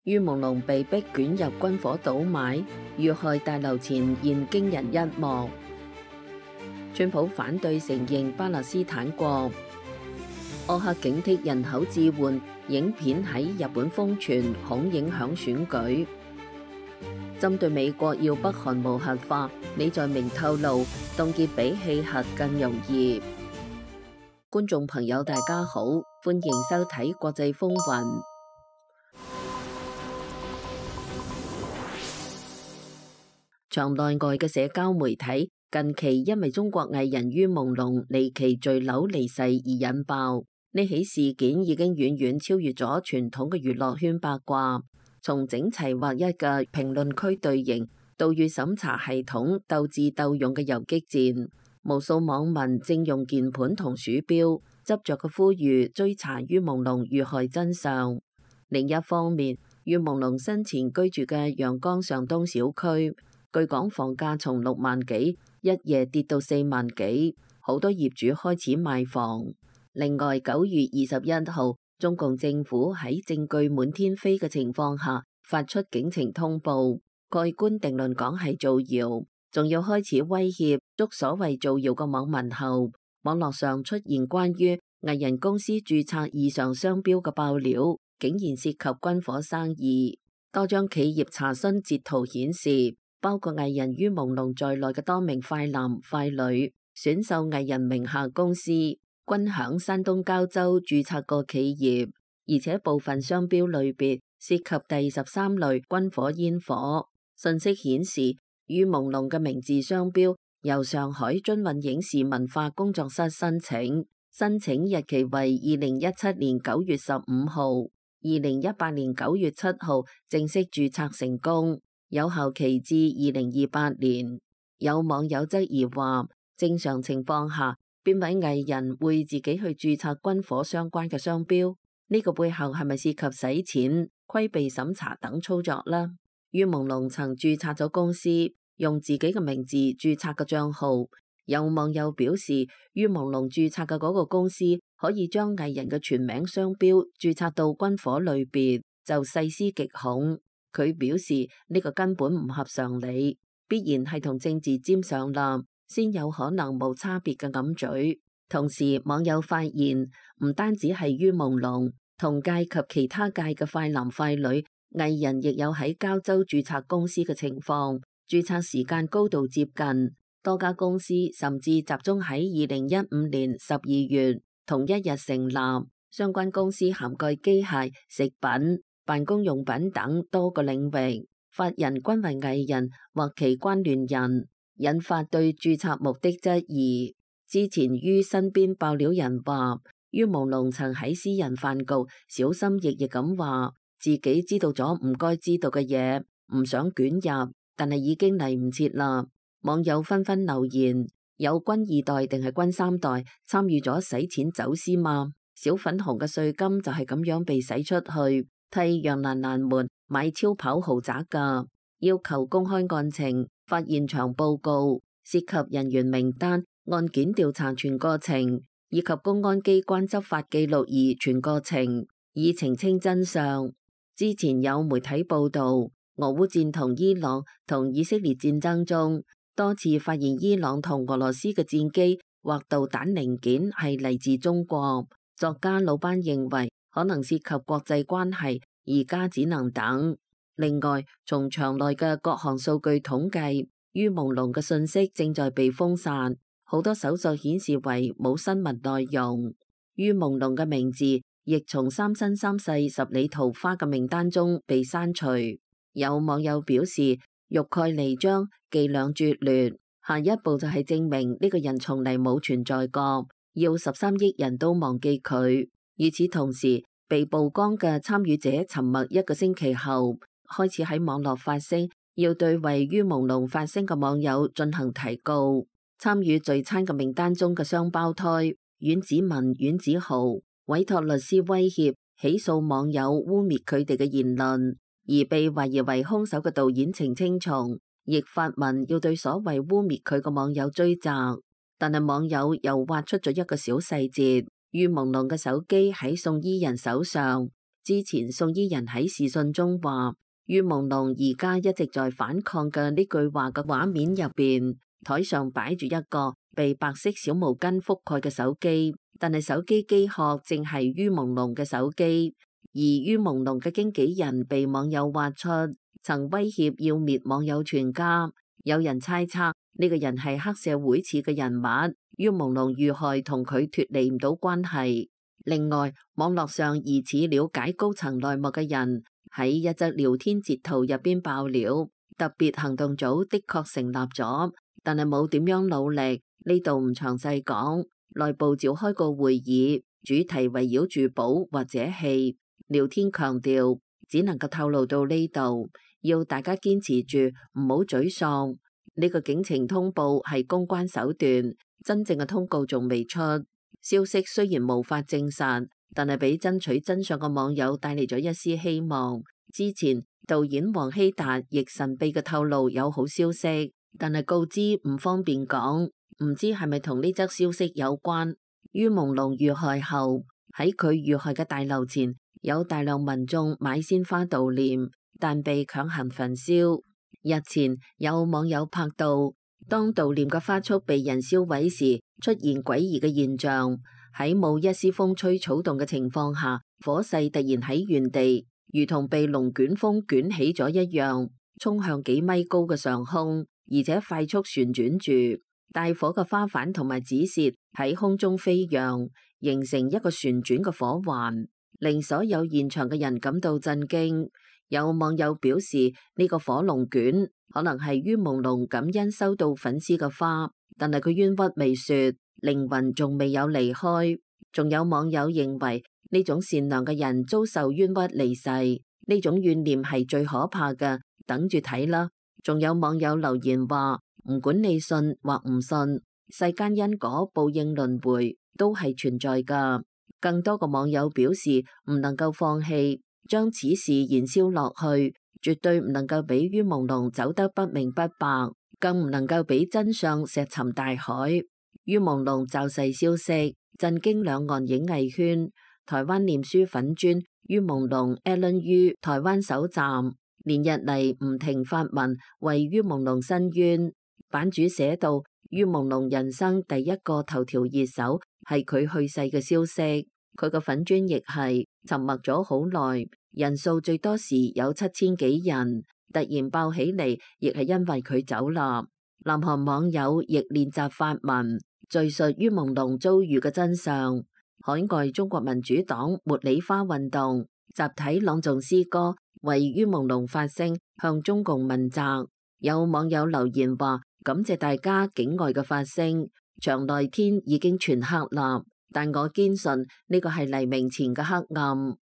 于朦朧被逼捲入軍火倒買，遇害大樓前現驚人一幕。川普反對承認巴勒斯坦國。柯克警惕人口置換影片喺日本瘋傳，恐影響選舉。針對美國要北韓無核化，李在明透露凍結比棄核更容易。觀眾朋友大家好，歡迎收睇國際風雲。場內外嘅社交媒體近期因為中國藝人于朦朧離奇墜樓離世而引爆。呢起事件已經遠遠超越咗傳統嘅娛樂圈八卦，從整齊劃一嘅評論區隊形到與審查系統鬥智鬥勇嘅游擊戰，無數網民正用鍵盤同鼠標執着嘅呼籲追查于朦朧遇害真相。另一方面，于朦朧生前居住嘅陽江上東小區，據講房價從6萬幾一夜跌到4萬幾，好多業主開始賣房。另外，9月21號，中共政府喺證據滿天飛嘅情況下發出警情通報，蓋棺定論講係造謠，仲要開始威脅捉所謂造謠嘅網民後，網絡上出現關於藝人公司註冊異常商標嘅爆料，竟然涉及軍火生意。多張企業查詢截圖顯示，包括藝人于朦朧在內嘅多名快男快女選秀藝人名下公司均響山東膠州註冊過企業，而且部分商標類別涉及第13類軍火煙火。信息顯示，于朦朧嘅名字商標由上海津韻影視文化工作室申請，申請日期為2017年9月15號，2018年9月7號正式註冊成功，有效期至2028年。有網友質疑話，正常情況下，邊位藝人會自己去註冊軍火相關嘅商標？呢個背後係咪涉及洗錢、規避審查等操作呢？于朦朧曾註冊咗公司，用自己嘅名字註冊嘅賬號。有網友表示，于朦朧註冊嘅嗰個公司可以將藝人嘅全名商標註冊到軍火類別，就細思極恐。佢表示呢個根本唔合常理，必然係同政治沾上啦，先有可能冇差別嘅揞嘴。同時，網友發現唔單止係于朦朧，同屆及其他屆嘅快男快女藝人亦有喺膠州註冊公司嘅情況，註冊時間高度接近，多家公司甚至集中喺2015年12月同一日成立。相關公司涵蓋機械、食品、辦公用品等多個領域，法人均為藝人或其關聯人，引發對註冊目的質疑。之前于身邊爆料人話，于朦朧曾喺私人飯局小心翼翼咁話自己知道咗唔該知道嘅嘢，唔想捲入，但係已經嚟唔切啦。網友紛紛留言，有軍2代定係軍3代參與咗洗錢走私嗎？小粉紅嘅稅金就係咁樣被洗出去，替楊蘭蘭們買超跑豪宅㗎。要求公開案情、發現場報告、涉及人員名單、案件調查全過程，以及公安機關執法記錄儀全過程，以澄清真相。之前有媒體報道，俄烏戰同伊朗同以色列戰爭中，多次發現伊朗同俄羅斯嘅戰機或導彈零件係嚟自中國。作家魯班認為可能涉及國際關係，而家只能等。另外，從場內嘅各項數據統計，于朦朧嘅信息正在被封殺，好多搜索顯示為冇新聞內容。于朦朧嘅名字亦從三生三世十里桃花嘅名單中被刪除。有網友表示，欲蓋彌彰，伎倆拙劣，下一步就係證明呢個人從嚟冇存在過，要13億人都忘記佢。與此同時，被曝光嘅參與者沉默1個星期後，開始喺網絡發聲，要對為于朦朧發聲嘅網友進行提告。參與聚餐嘅名單中嘅雙胞胎阮子文、阮子豪委託律師威脅起訴網友污衊佢哋嘅言論，而被懷疑為兇手嘅導演程青松亦發文要對所謂污衊佢嘅網友追責。但係網友又挖出咗一個小細節，于朦朧嘅手機喺宋伊人手上，之前宋伊人喺視訊中話，于朦朧而家一直在反抗嘅呢句話嘅畫面入邊，台上擺住一個被白色小毛巾覆蓋嘅手機，但係手機機殼正係于朦朧嘅手機，而于朦朧嘅經紀人被網友挖出，曾威脅要滅網友全家。有人猜測呢個人係黑社會似嘅人物，于朦朧遇害同佢脫離唔到關係。另外，網絡上疑似了解高層內幕嘅人喺一則聊天截圖入邊爆料，特別行動組的確成立咗，但係冇點樣努力。呢度唔詳細講。內部召開個會議，主題圍繞住保或者棄。聊天強調只能夠透露到呢度，要大家堅持住，唔好沮喪。呢個警情通報係公關手段，真正嘅通告仲未出。消息雖然無法證實，但係俾爭取真相嘅網友帶嚟咗一絲希望。之前導演黃希達亦神秘嘅透露有好消息，但係告知唔方便講，唔知係咪同呢則消息有關。于朦朧遇害後，喺佢遇害嘅大樓前有大量民眾買鮮花悼念，但被強行焚燒。日前有網友拍到，當悼念嘅花束被人燒毀時，出現詭異嘅現象。喺冇一絲風吹草動嘅情況下，火勢突然喺原地，如同被龍捲風捲起咗一樣，衝向幾米高嘅上空，而且快速旋轉住。帶火嘅花瓣同埋紙屑喺空中飛揚，形成一個旋轉嘅火環，令所有現場嘅人感到震驚。有網友表示，呢個火龍捲可能係于朦朧感恩收到粉絲嘅花，但係佢冤屈未雪，靈魂仲未有離開。仲有網友認為呢種善良嘅人遭受冤屈離世，呢種怨念係最可怕嘅，等住睇啦。仲有網友留言話，唔管你信或唔信，世間因果報應輪迴都係存在噶。更多個網友表示唔能夠放棄，將此事燃燒落去，絕對唔能夠俾于朦朧走得不明不白，更唔能夠俾真相石沉大海。于朦朧驟逝消息震驚兩岸影藝圈，台灣臉書粉專于朦朧 Allen 於台灣首站連日嚟唔停發文為于朦朧申冤，版主寫到于朦朧人生第一個頭條熱搜係佢去世嘅消息，佢個粉專亦係沉默咗好耐，人數最多時有7000幾人，突然爆起嚟，亦係因為佢走啦。南韓網友亦練習發文敘述于朦朧遭遇嘅真相。海外中國民主黨茉莉花運動集體朗誦詩歌，為于朦朧發聲，向中共問責。有網友留言話，感謝大家境外嘅發聲，牆內天已經全黑啦，但我堅信呢個係黎明前嘅黑暗。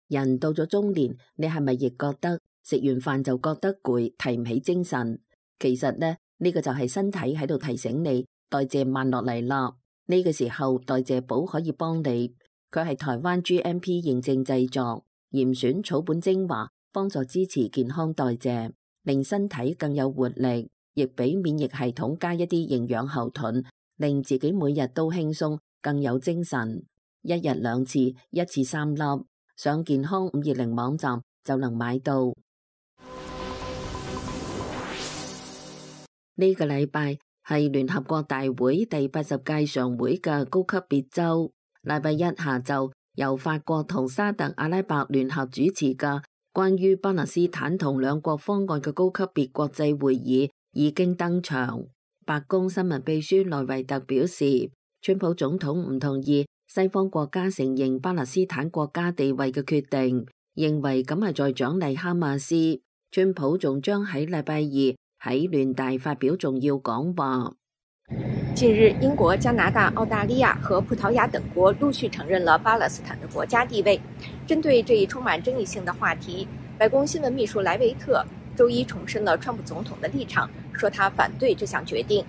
人到咗中年，你係咪亦覺得食完飯就覺得攰，提唔起精神？其實呢個就係身體喺度提醒你代謝慢落嚟啦。呢個時候代謝寶可以幫你，佢係台灣 GMP 認證製作，嚴選草本精華，幫助支持健康代謝，令身體更有活力，亦俾免疫系統加一啲營養後盾，令自己每日都輕鬆，更有精神。一日2次，一次3粒，上健康520網站就能買到。呢個禮拜係聯合國大會第80屆常會嘅高級別週。禮拜一下晝，由法國同沙特阿拉伯聯合主持嘅關於巴勒斯坦同兩國方案嘅高級別國際會議已經登場。白宮新聞秘書萊維特表示，川普總統唔同意西方國家承認巴勒斯坦國家地位嘅決定，認為咁係在獎勵哈馬斯。川普仲將喺禮拜2喺聯大發表重要講話。近日，英國、加拿大、澳大利亞和葡萄牙等國陸續承認了巴勒斯坦的國家地位。針對這一充滿爭議性的話題，白宮新聞秘書萊維特周一重申了川普總統的立場，說他反對這項決定。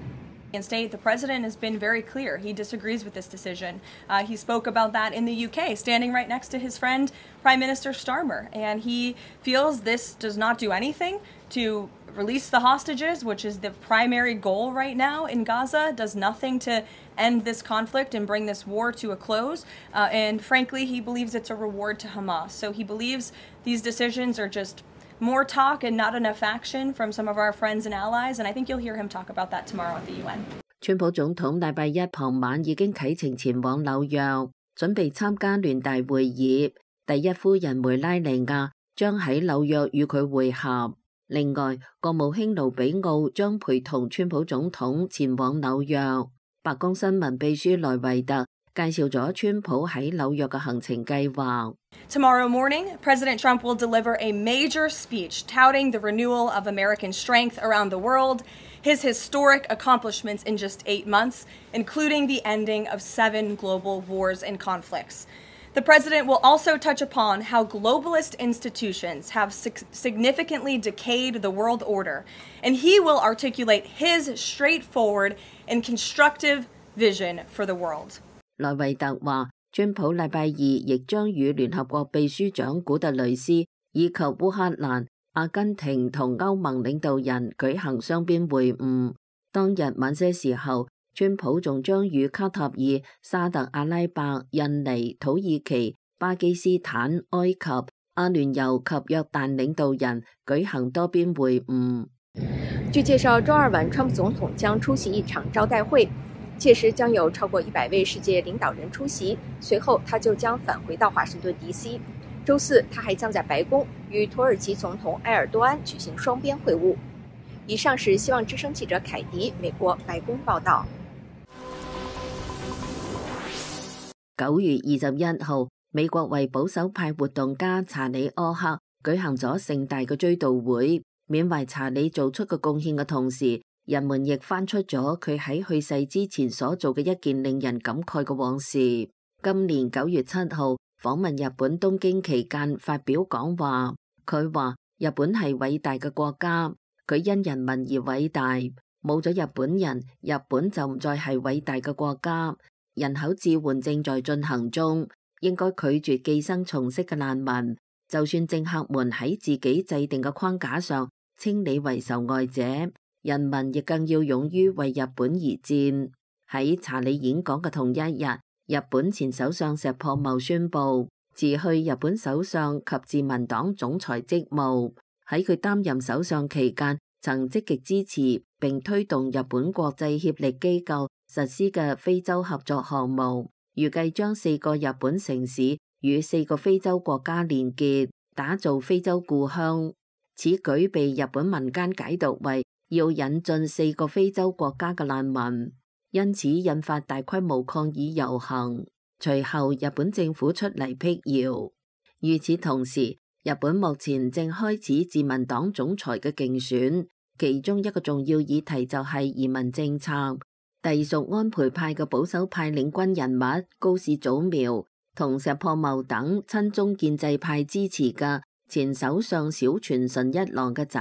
The president has been very clear. He disagrees with this decision. He spoke about that in the UK, standing right next to his friend, Prime Minister Starmer, and he feels this does not do anything to release the hostages, which is the primary goal right now in Gaza, does nothing to end this conflict and bring this war to a close. And frankly, he believes it's a reward to Hamas. So he believes these decisions are just more talk and not enough action from some of our friends and allies. And I think you'll hear him talk about that tomorrow at the UN. 川普總統禮拜一傍晚已經啟程前往紐約，準備參加聯大會議。第一夫人梅拉尼亞將喺紐約與佢會合。另外，國務卿盧比奧將陪同川普總統前往紐約。白宮新聞秘書萊維特介紹咗川普喺紐約嘅行程計劃。Tomorrow morning, President Trump will deliver a major speech touting the renewal of American strength around the world, his historic accomplishments in just 8 months, including the ending of 7 global wars and conflicts. The president will also touch upon how globalist institutions have significantly decayed the world order, and he will articulate his straightforward and constructive vision for the world. 萊維特話，川普禮拜二亦將與聯合國秘書長古特雷斯以及烏克蘭、阿根廷同歐盟領導人舉行雙邊會晤。當日晚些時候，川普仲將與卡塔爾、沙特阿拉伯、印尼、土耳其、巴基斯坦、埃及、阿聯酋及約旦領導人舉行多邊會晤。據介紹，周二晚，川普總統將出席一場招待會，屆時將有超過100位世界領導人出席，隨後他就將返回到華盛頓 DC。周四，他還將在白宮與土耳其總統埃爾多安舉行雙邊會晤。以上是希望之聲記者凱迪美國白宮報道。9月21號，美國為保守派活動家查理柯克舉行咗盛大嘅追悼會，緬懷查理做出嘅貢獻嘅同時，人們亦翻出咗佢喺去世之前所做嘅一件令人感慨嘅往事。今年9月7號訪問日本東京期間發表講話，佢話日本係偉大嘅國家，佢因人民而偉大，冇咗日本人，日本就唔再係偉大嘅國家。人口置換正在進行中，應該拒絕寄生蟲式嘅難民，就算政客們喺自己制定嘅框架上稱你為受害者，人民亦更要勇於為日本而戰。喺查理演講嘅同一日，日本前首相石破茂宣布辭去日本首相及自民黨總裁職務。喺佢擔任首相期間，曾積極支持並推動日本國際協力機構實施嘅非洲合作項目，預計將4個日本城市與4個非洲國家連結，打造非洲故鄉。此舉被日本民間解讀為要引進4個非洲國家嘅難民，因此引發大規模抗議遊行。隨後日本政府出嚟闢謠。與此同時，日本目前正開始自民黨總裁嘅競選，其中一個重要議題就係移民政策。隸屬安倍派嘅保守派領軍人物高市早苗同石破茂等親中建制派支持嘅前首相小泉純一郎嘅仔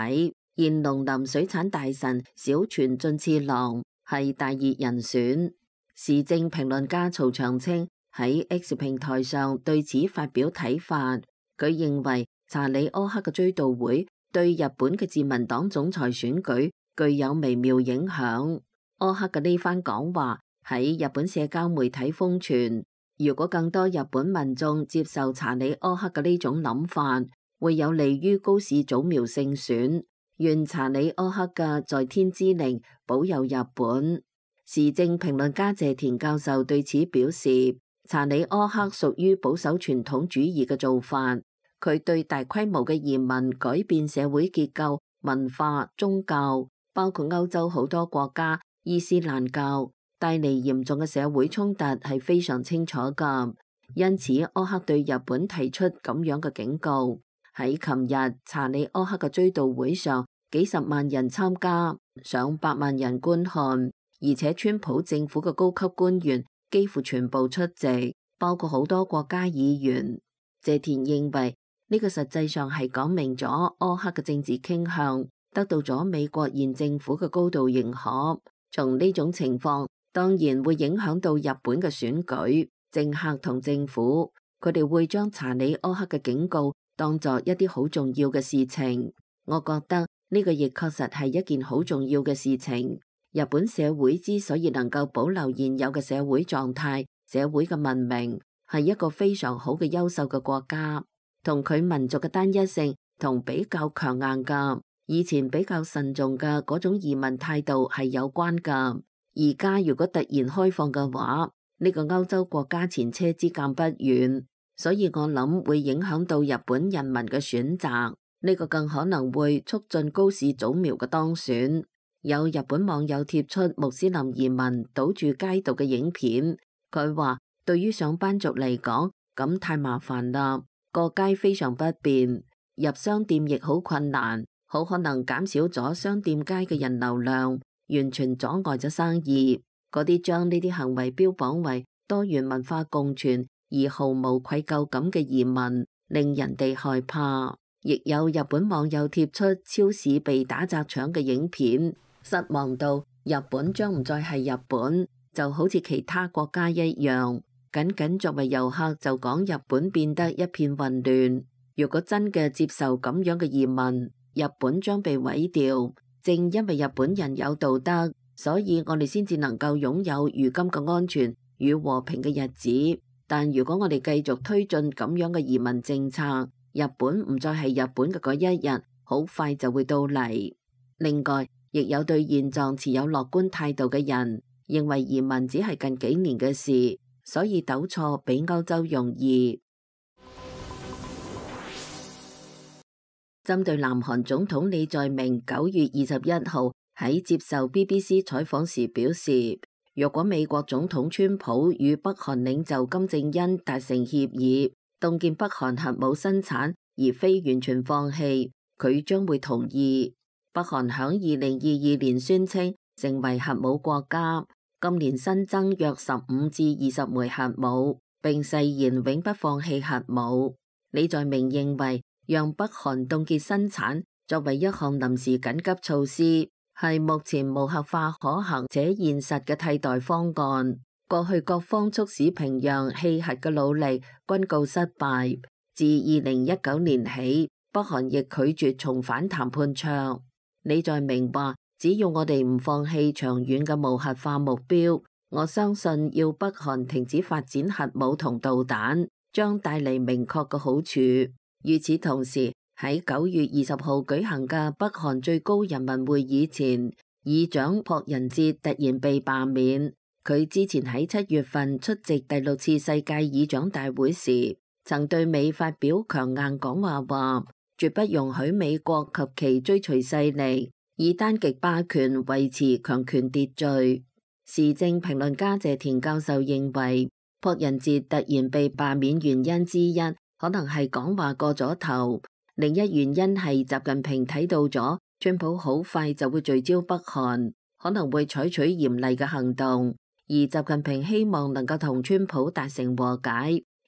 現農林水產大臣小泉進次郎係大熱人選。時政評論家曹長青喺 X 平台上對此發表睇法，佢認為查理柯克嘅追悼會對日本嘅自民黨總裁選舉具有微妙影響。柯克嘅呢番講話喺日本社交媒體瘋傳，如果更多日本民眾接受查理柯克嘅呢種諗法，會有利於高市早苗勝選。願查理柯克嘅在天之靈保佑日本。時政評論家謝田教授對此表示，查理柯克屬於保守傳統主義嘅做法，佢對大規模嘅移民改變社會結構、文化、宗教，包括歐洲好多國家伊斯蘭教帶嚟嚴重嘅社會衝突係非常清楚㗎，因此柯克對日本提出咁樣嘅警告。喺琴日查理柯克嘅追悼會上，幾十萬人參加，上百萬人觀看，而且川普政府嘅高級官員幾乎全部出席，包括好多國家議員。謝田認為呢個實際上係講明咗柯克嘅政治傾向得到咗美國現政府嘅高度認可。從呢種情況，當然會影響到日本嘅選舉，政客同政府，佢哋會將查理柯克嘅警告當作一啲好重要嘅事情。我覺得呢個亦確實係一件好重要嘅事情。日本社會之所以能夠保留現有嘅社會狀態、社會嘅文明，係一個非常好嘅優秀嘅國家，同佢民族嘅單一性同比較強硬嘅以前比較慎重嘅嗰種移民態度係有關㗎。而家如果突然開放嘅話，呢個歐洲國家前車之鑑不遠，所以我諗會影響到日本人民嘅選擇。呢個更可能會促進高市早苗嘅當選。有日本網友貼出穆斯林移民堵住街道嘅影片，佢話對於上班族嚟講，咁太麻煩啦，過街非常不便，入商店亦好困難，好可能減少咗商店街嘅人流量，完全阻礙咗生意。嗰啲將呢啲行為標榜為多元文化共存而毫無愧疚感嘅移民，令人哋害怕。亦有日本網友貼出超市被打砸搶嘅影片，失望到日本將唔再係日本，就好似其他國家一樣，僅作為遊客就講日本變得一片混亂。如果真嘅接受咁樣嘅移民，日本將被毀掉。正因為日本人有道德，所以我哋先至能夠擁有如今嘅安全與和平嘅日子。但如果我哋繼續推進咁樣嘅移民政策，日本唔再係日本嘅嗰一日，好快就會到嚟。另外，亦有對現狀持有樂觀態度嘅人，認為移民只係近幾年嘅事，所以糾錯比歐洲容易。針對南韓總統李在明9月21號喺接受 BBC 採訪時表示，若果美國總統川普與北韓領袖金正恩達成協議，凍結北韓核武生產而非完全放棄，佢將會同意。北韓響2022年宣稱成為核武國家，今年新增約15至20枚核武，並誓言永不放棄核武。李在明認為，讓北韓凍結生產作為一項臨時緊急措施，係目前無核化可行且現實嘅替代方案。過去各方促使平壤棄核嘅努力均告失敗。自2019年起，北韓亦拒絕重返談判桌。李在明話，只要我哋唔放棄長遠嘅無核化目標，我相信要北韓停止發展核武同導彈，將帶嚟明確嘅好處。與此同時，喺9月20號舉行嘅北韓最高人民會議前，議長朴仁哲突然被罷免。佢之前喺7月份出席第6次世界議長大會時，曾對美發表強硬講話，話絕不容許美國及其追隨勢力以單極霸權維持強權秩序。時政評論家謝田教授認為，朴仁哲突然被罷免原因之一，可能係講話過咗頭，另一原因係習近平睇到咗川普好快就會聚焦北韓，可能會採取嚴厲嘅行動。而習近平希望能夠同川普達成和解，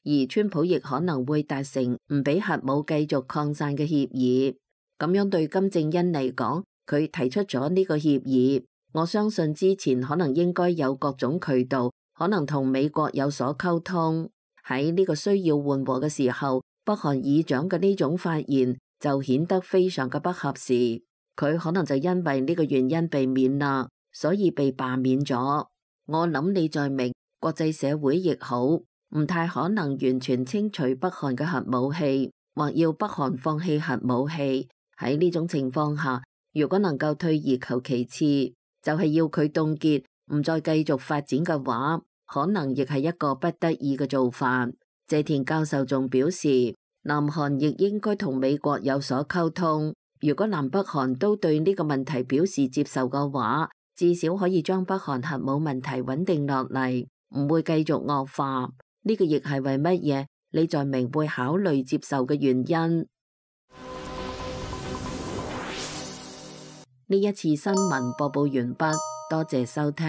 而川普亦可能會達成唔俾核武繼續擴散嘅協議。咁樣對金正恩嚟講，佢提出咗呢個協議，我相信之前可能應該有各種渠道，可能同美國有所溝通。喺呢個需要緩和嘅時候，北韓議長嘅呢種發言就顯得非常嘅不合時。佢可能就因為呢個原因被免啦，所以被罷免咗。我諗李在明，國際社會亦好，唔太可能完全清除北韓嘅核武器，或要北韓放棄核武器。喺呢種情況下，如果能夠退而求其次，就係要佢凍結，唔再繼續發展嘅話，可能亦係一個不得已嘅做法。謝田教授仲表示，南韓亦應該同美國有所溝通。如果南北韓都對呢個問題表示接受嘅話，至少可以將北韓核武問題穩定落嚟，唔會繼續惡化。呢個亦係為乜嘢李在明會考慮接受嘅原因。呢一次新聞播報完畢，多謝收聽。